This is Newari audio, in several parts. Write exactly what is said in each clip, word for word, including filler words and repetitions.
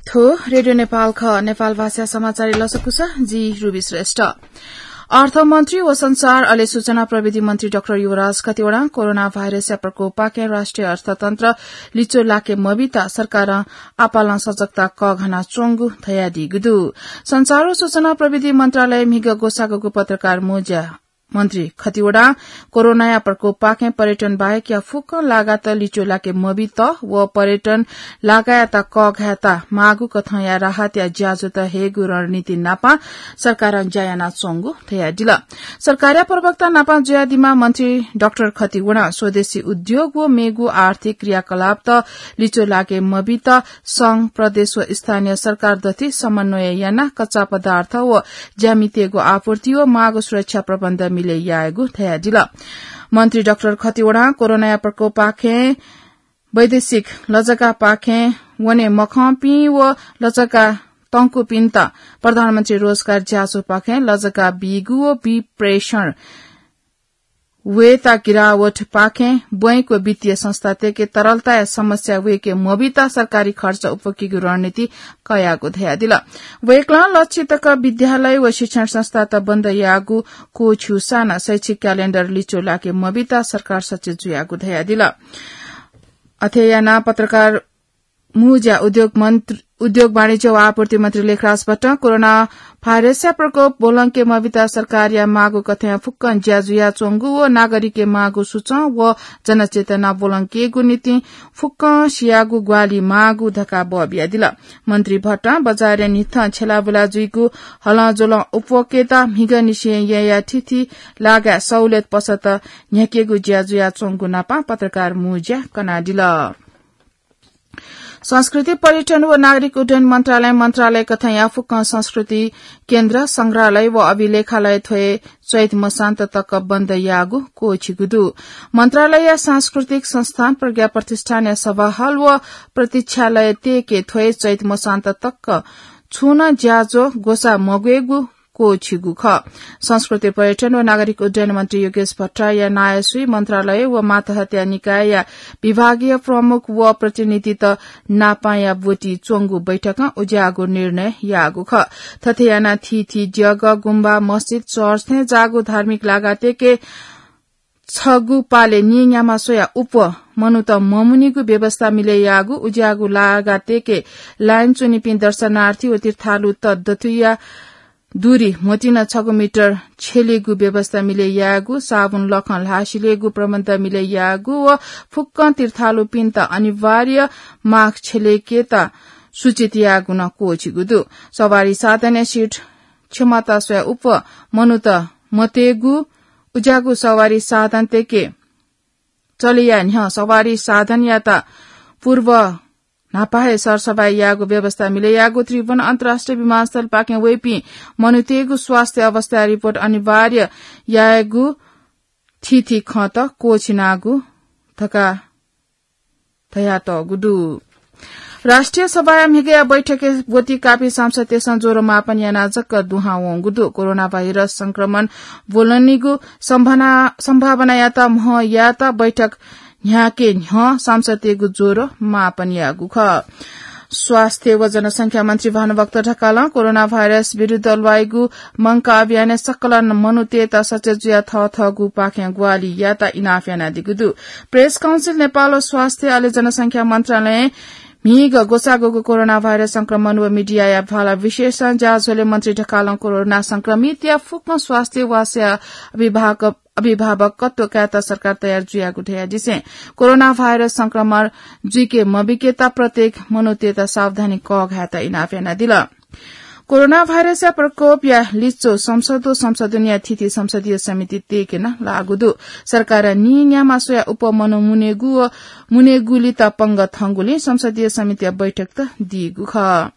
थ्व रेडियो नेपाल खः। नेपाल भाषा समाचार लसकुस, जि रुबी श्रेष्ठ। अर्थमन्त्री व संचार अले सूचना प्रविधि मन्त्री डाक्टर युवराज खतिवडां कोरोना भाइरसया प्रकोपपाखें राष्ट्रिय अर्थतन्त्र लिचो लाके मबित सरकारं आपालं सजगता कःघाना च्वंगु धयादीगु दु। संचार व सूचना प्रविधि मन्त्रालय म्हिगः ग्वसाःगु पत्रकार मुँज्या मन्त्री खतिवडां कोरोनाया प्रकोपपाखें पर्यटन बाहेकया फुक्क लागात लिचो लाके मबित व पर्यटन लागायात कःघायेत माःगु कथंया राहतया ज्याझ्वःत हयेगु रणनीति नापं सरकारं ज्या यानाच्वंगु धयादिल। सरकारया प्रवक्ता नापं जुयादीम्ह मन्त्री डाक्टर खतिवडां स्वदेशी उद्योग व मेगु आर्थिक क्रियाकलापत लिचो लाके मबित संघ, प्रदेश व स्थानीय सरकार दथुइ समन्वय यानाः कच्चा पदार्थ व ज्यामितय्गु आपूर्ति व माःगु सुरक्षा प्रबन्ध मिले यायेगु धयादिल। मन्त्री डाक्टर खतिवडां कोरोनाया प्रकोपपाखें वैदेशिक लजगापाखें वने मखंपिं व लजगा तंकुपिन्त प्रधानमन्त्री रोजगार ज्याझ्वःपाखें लजगा बीगु व विप्रेषण वयेत गिरावटपाखें बैंक व वित्तीय संस्थातय्के तरलताया समस्या वयेके मबित सरकारी खर्च उप्वकीगु रणनीति कयागु धयादिल। वय्कलं लच्छि तक विद्यालय व शिक्षण संस्थात बन्द याःगु क्वःछिउसां नं शैक्षिक क्यालेण्डर लिचो लाके मबित सरकार सचेत जुयागु धयादिल। अथे यानाः पत्रकार मुँज्या उद्योग मन्त्र-, उद्योग वाणिज्य व आपूर्ति मन्त्री लेखराज भट्टं कोरोना भाइरसया प्रकोप ब्वलंके मबित सरकारया माःगु कथंया फुक्कं ज्या जुयाच्वंगु व नागरिकया माःगु सुचं व जनचेतना ब्वलंकेगु निंतिं फुक्कं सियागु ग्वाहालि माःगु धकाः बः बियादिल। मन्त्री भट्टं बजारया न्हिथं छ्यलाबुला जुइगु हलंज्वलं उप्वकेत म्हिगःनिसें यँया थीथी लागाय् सहुलियत पसत न्ह्याकेगु ज्या जुयाच्वंगु नापं पत्रकार मुँज्या कनादिल। संस्कृति, पर्यटन व नागरिक उड्डयन मन्त्रालयं मन्त्रालय कथंया फुक्कं संस्कृति केन्द्र, संग्रहालय व अभिलेखालय थ्वय् चैत मसान्त तक बन्द याःगु क्वःछिगु दु। मन्त्रालयया सांस्कृतिक संस्थान, प्रज्ञा प्रतिष्ठानया सभाहल व प्रतीक्षालयतय्के थ्वय् चैत मसान्त तक छुं नं ज्याझ्वः ग्वसाः मग्वयेगु क्वःछिगु खः। संस्कृति, पर्यटन व नागरिक उड्डयन मन्त्री योगेश भट्टराईया नायःसुइ मन्त्रालय व मातहतया निकायया विभागीय प्रमुख व प्रतिनिधित नापंया ब्वति च्वंगु बैठकं उज्याःगु निर्णय याःगु खः। थथे यानाः थीथी जग्गा, गुम्बा, मस्जिद, चर्च थें जाःगु धार्मिक लागातय्के छगू पालय् नीन्याम्ह स्वयाः उप्वः मनूत ममुनीगु व्यवस्था मिले याःगु, उज्याःगु लागातय्के लाइन च्वनीपिं दर्शनार्थी व तीर्थालुत दथुइया दूरी म्होतिं छगू मिटर छ्यलेगु व्यवस्था मिले याःगु, साबुन लखं ल्हाः सिलेगु प्रबन्ध मिले याःगु व फुक्कं तीर्थालुपिन्त अनिवार्य मास्क छ्यलेकेत सूचित याःगु नं क्वःछिगु दु। सवारी साधनया सिट क्षमता स्वयाः उप्वः मनूत मतयेगु, उज्याःगु सवारी साधनतय्के चले याये न्ह्यः सवारी साधनयात पूर्व न्हापा हे सरसफाई यायेगु व्यवस्था मिले याःगु, त्रिभुवन अन्तर्राष्ट्रिय विमानस्थलपाखें वइपिं मनूतय्गु स्वास्थ्य अवस्था रिपोर्ट अनिवार्य यायेगु थीथी खँत क्वःछिनागु धकाः धयातःगु दु। राष्ट्रिय सभाया म्हिगःया बैठकय् ब्वति काःपिं सांसदतय्सं ज्वरो मापन यानाः जक दुहां वंगु दु। कोरोना भाइरस संक्रमण ब्वलनीगु सम्भावना, सम्भावनायात म्ह यायेत बैठक न्ह्याके न्ह्यः सांसदतय्गु ज्वरो मापन याःगु खः। स्वास्थ्य व जनसंख्या मन्त्री भानुभक्त ढकालं कोरोना भाइरस विरुद्ध ल्वाइगु मंकाः अभियानय् सकल मनूतय्त सचेत जुयाः थःथःगुपाखें ग्वाहालि यायेत इनाप यानादीगु दु। प्रेस काउन्सिल नेपाल व स्वास्थ्य अले जनसंख्या मन्त्रालयं म्हिगः ग्वसाःगु कोरोना भाइरस संक्रमण व मिडियाया भाला विशेषं ज्याझ्वलय् मन्त्री ढकालं कोरोना संक्रमितया फुक्कं स्वास्थ्य वासया अभिभावक, अभिभावकत्व कायेत सरकार तयार जुयागु धयादिसें कोरोना भाइरस संक्रमण जुइके मबिकेत प्रत्येक मनूतय्त सावधानी कःघायेत इनाप यानादिल। कोरोना भाइरसया प्रकोपया लिच्वः संसद व संसदुनिया थीथी संसदीय समितितय्के नं लाःगु दु। सरकारं नीन्याम्ह स्वयाः उप्वः मनू मुनेगु व मुनेगुलित पंगः थंगुलिं संसदीय समितिया बैठकत दीगु खः।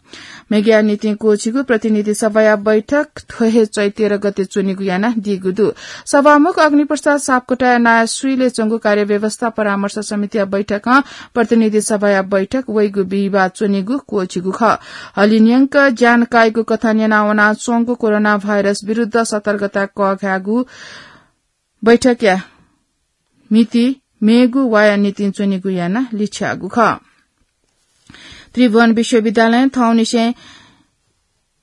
मेगु निंतिं क्वःछिगु प्रतिनिधि सभाया बैठक थ्व हे चैत तेह्र गते च्वनेगु यानादीगु दु। सभामुख अग्निप्रसाद सापकोटाया नायःसुइले च्वंगु कार्यव्यवस्था परामर्श समितिया बैठकं प्रतिनिधि सभाया बैठक वइगु बिहिबाः च्वनेगु क्वःछिगु खः। हलिंन्यंक ज्यान काइगु कथं न्यनावनाच्वंगु कोरोना भाइरस विरुद्ध सतर्कता कःघायेगु बैठकया मिति मेगु वाया निंतिं च्वनेगु यानाः लिछ्याःगु खः। त्रिभुवन विश्वविद्यालयं थौंनिसें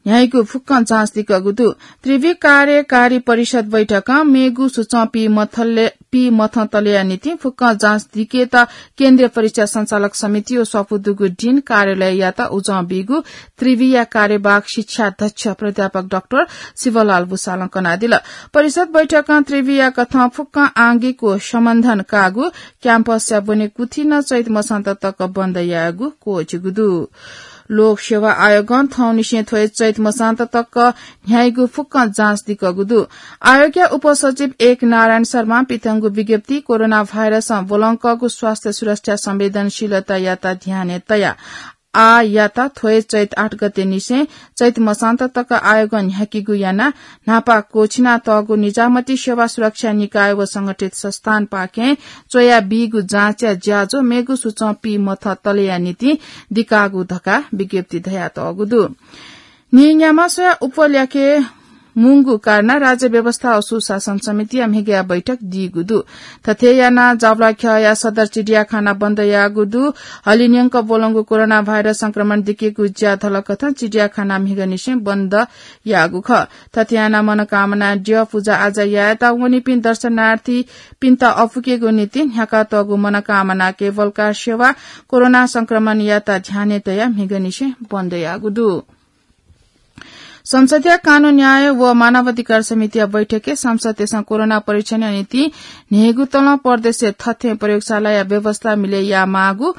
न्ह्याइगु फुक्कं जाँच दिकःगु दु। त्रिवि कार्यकारी परिषद बैठकं मेगु सुचं पी मथले-, पी मथं तलेया निंतिं फुक्कं जाँच दिकेत केन्द्रीय परीक्षा सञ्चालक समिति व स्वापू दुगु डिन कार्यालययात उजं बीगु त्रिविया कार्यवाहक शिक्षा अध्यक्ष प्राध्यापक डाक्टर शिवलाल भुसालं कनादिल। परिषद बैठकं त्रिविया कथं फुक्कं आंगिक व सम्बन्धन काःगु क्याम्पसया ब्वने कुथि नं चैत मसान्त तक बन्द यायेगु क्वःछिगु दु। लोक सेवा आयोगं थौंनिसें थ्व हे चैत मसान्त तक न्ह्याइगु फुक्कं जाँच दिकःगु दु। आयोगया उपसचिव एक नारायण शर्मां पिथंगु विज्ञप्ति कोरोना भाइरसं ब्वलंकःगु स्वास्थ्य सुरक्षा संवेदनशीलतायात ध्यानय् तयाः आःयात थ्व हे चैत आठ गते निसें चैत मसान्त तक आयोगं न्ह्याकीगु यानाः न्हापा क्वःछिना तःगु निजामती सेवा सुरक्षा निकाय व संगठित संस्थानपाखें च्वया बीगु जाँचया ज्याझ्वः मेगु सुचं पी मथं तलेया निंतिं दिकाःगु धकाः विज्ञप्ति धयातःगु दु। नीन्याम्ह स्वयाः उप ल्याके मुंगु कारणं राज्य व्यवस्था व सुशासन समितिया म्हिगःया बैठक दीगु दु। थथे यानाः जाबुलाख्यःया सदर चिडियाखाना बन्द याःगु दु। हलिंन्यंक ब्वलंगु कोरोना भाइरस संक्रमण दिकेगु ज्या धलकथं चिडियाखाना म्हिगःनिसें बन्द याःगु खः। थथे यानाः मनोकामना द्यः पुजा आजा यायेत वनीपिं दर्शनार्थीपिन्त अःपुकेगु निंतिं न्ह्याकातःगु मनोकामना केबल कार सेवा कोरोना संक्रमणयात ध्यानय् तयाः म्हिगःनिसें बन्द याःगु दु। संसदीय कानून न्याय व मानवाधिकार समितिया बैठकय् सांसदतय्सं कोरोना परीक्षणया निंतिं न्हय्गू तलं प्रदेशय् थथें प्रयोगशालाया व्यवस्था मिले यायेमाःगु,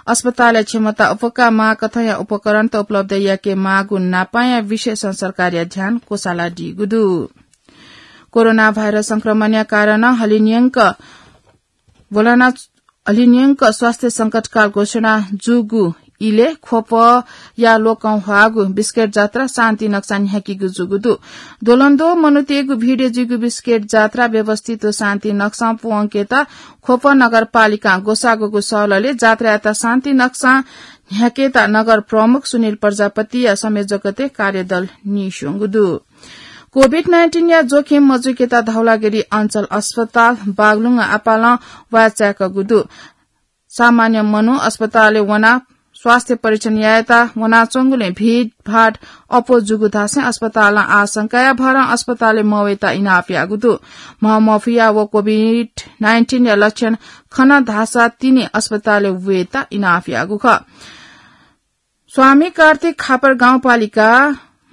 अस्पतालया क्षमता अप्वकाः माःकथंया उपकरणत उपलब्ध याकेमाःगु नापांया विषयसं सरकारया ध्यान क्वसालादीगु दु। कोरोना भाइरस संक्रमणया कारणं हलिंन्यंक ब्वलना हलिंन्यंक स्वास्थ्य संकटकाल घोषणा जूगु इलय् ख्वपया लोकं ह्वाःगु बिस्केट जात्रा शान्ति नक्सां न्ह्याकीगु जूगु दु। द्वलंद्वः मनूतय्गु भिडय् जुइगु बिस्केट जात्रा व्यवस्थित व शान्ति नक्सां पूवंकेत ख्वप नगरपालिकां ग्वसाःगु सहलले जात्रायात शान्ति नक्सां न्ह्याकेत नगर प्रमुख सुनिल प्रजापतिया संयोजकत्वय् कार्यदल नीस्वंगु दु। कोभिड नाइन्टिनया जोखिम मजुइकेत धौलागिरी अञ्चल अस्पताल बागलुङं आपालं वाय् चाय्कूगु दु। सामान्य मनू अस्पतालय् वनाः स्वास्थ्य परीक्षण यायेत वनाच्वंगुलिं भिडभाड अप्वः जूगु धासें अस्पतालं आशंकाया भरं अस्पतालय् मवयेत इनाप याःगु दु। म्ह मफुया व कोभिड नाइन्टिनया लक्षण खन धाःसा तिनि अस्पतालय् वयेत इनाप याःगु खः। स्वामी कार्तिक खापर गाउँपालिका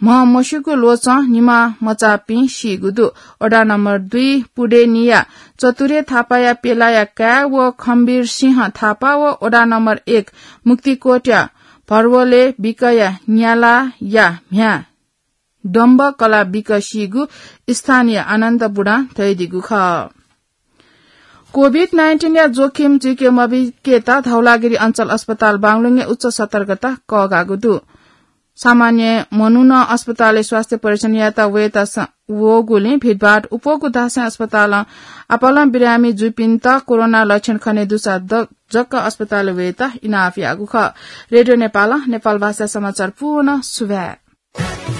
म्हमस्युगु ल्वचं निम्ह मचापिं सीगु दु। वडा नम्बर दुई पुडेनिया चतुरे थापाया पेलाया काय् व खम्बीर सिंह थापा व वडा नम्बर एक मुक्तिकोटया भर्वले बिकया न्यालाया म्ह्याय् डम्ब कला बिक सीगु स्थानीय आनन्द बुढां धयादीगु खः। कोभिड नाइन्टिनया जोखिम जुइके मबिकेत धौलागिरी अञ्चल अस्पताल बागलुङय् उच्च सतर्कता कःघाःगु दु। सामान्य मनू नं अस्पतालय् स्वास्थ्य परीक्षण यायेत वयेत स-, वःगुलिं भिडभाड अप्वःगु धासें अस्पतालं आपालं बिरामी जूपिन्त कोरोना लक्षण खने दुसा द-, जक अस्पतालय् वयेत इनाप याःगु खः। रेडियो नेपालं नेपाल भाषा समाचार पूर्ण सुभाय्।